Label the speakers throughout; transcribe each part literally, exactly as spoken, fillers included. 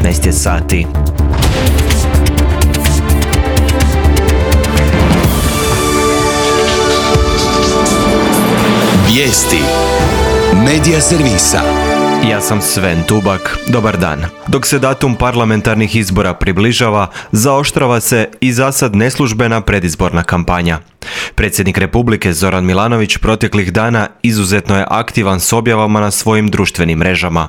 Speaker 1: devetnaest je sati.
Speaker 2: Vijesti Medija servisa.
Speaker 1: Ja sam Sven Tubak, dobar dan. Dok se datum parlamentarnih izbora približava, zaoštrava se i zasad neslužbena predizborna kampanja. Predsjednik Republike Zoran Milanović proteklih dana izuzetno je aktivan s objavama na svojim društvenim mrežama.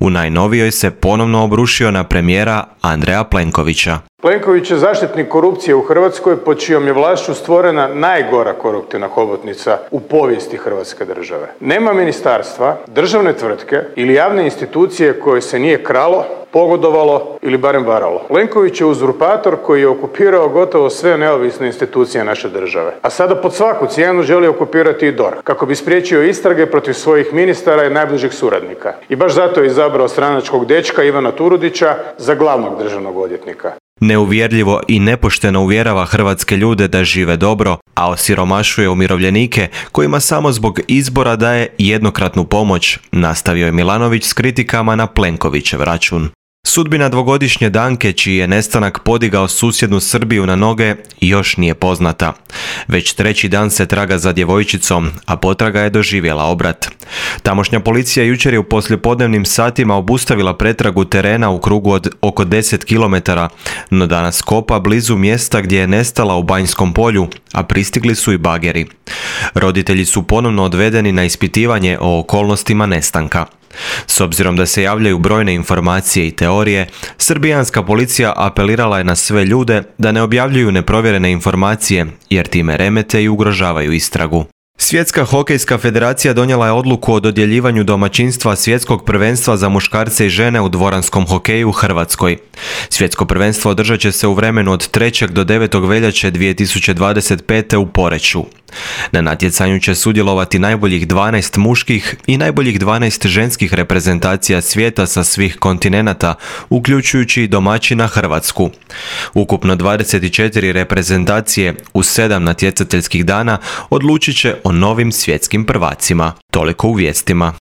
Speaker 1: U najnovijoj se ponovno obrušio na premijera Andreja Plenkovića.
Speaker 3: Plenković je zaštitnik korupcije u Hrvatskoj, pod čijom je vlašću stvorena najgora koruptivna hobotnica u povijesti Hrvatske države. Nema ministarstva, državne tvrtke ili javne institucije koje se nije kralo, pogodovalo ili barem varalo. Plenković je uzurpator koji je okupirao gotovo sve neovisne institucije naše države. A sada pod svaku cijenu želi okupirati i D O R H, kako bi spriječio istrage protiv svojih ministara i najbližih suradnika. I baš zato je izabrao stranačkog dečka Ivana Turudića za glavnog državnog odvjetnika.
Speaker 1: Neuvjerljivo i nepošteno uvjerava hrvatske ljude da žive dobro, a osiromašuje umirovljenike kojima samo zbog izbora daje jednokratnu pomoć, nastavio je Milanović s kritikama na Plenkovićev račun. Sudbina dvogodišnje Danke, čiji je nestanak podigao susjednu Srbiju na noge, još nije poznata. Već treći dan se traga za djevojčicom, a potraga je doživjela obrat. Tamošnja policija jučer je u poslijepodnevnim satima obustavila pretragu terena u krugu od oko deset kilometara, no danas kopa blizu mjesta gdje je nestala u Banjskom polju, a pristigli su i bageri. Roditelji su ponovno odvedeni na ispitivanje o okolnostima nestanka. S obzirom da se javljaju brojne informacije i teorije, srbijanska policija apelirala je na sve ljude da ne objavljuju neprovjerene informacije, jer time remete i ugrožavaju istragu. Svjetska hokejska federacija donijela je odluku o dodjeljivanju domaćinstva svjetskog prvenstva za muškarce i žene u dvoranskom hokeju u Hrvatskoj. Svjetsko prvenstvo održat će se u vremenu od trećeg do devetog veljače dvije tisuće dvadeset pete. u Poreču. Na natjecanju će sudjelovati najboljih dvanaest muških i najboljih dvanaest ženskih reprezentacija svijeta sa svih kontinenata, uključujući i domaćina Hrvatsku. Ukupno dvadeset četiri reprezentacije u sedam natjecateljskih dana odlučit će o novim svjetskim prvacima. Toliko u vijestima.